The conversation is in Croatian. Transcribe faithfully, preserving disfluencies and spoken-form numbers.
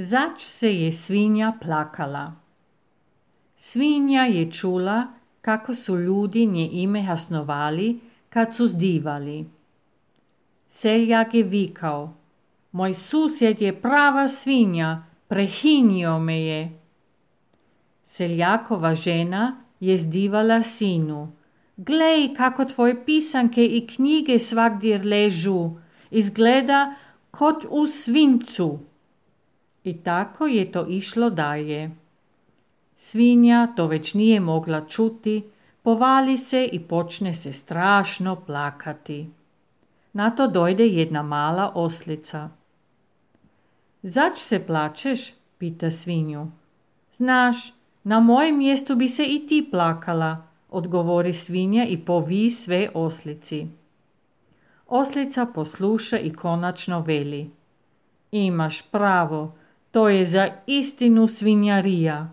Zač se je svinja plakala. Svinja je čula kako su ljudi nje ime hasnovali kad su zdivali. Seljak je vikao: "Moj susjed je prava svinja, prehinio me je." Seljakova žena je zdivala sinu: "Glej kako tvoje pisanke i knjige svagdje ležu, izgleda kot u svincu." I tako je to išlo dalje. Svinja to već nije mogla čuti, povali se i počne se strašno plakati. Na to dojde jedna mala oslica. "Zač se plačeš?" pita svinju. "Znaš, na mojem mjestu bi se i ti plakala," odgovori svinja i povi sve oslici. Oslica posluša i konačno veli: "Imaš pravo, to je za istinu svinjarija.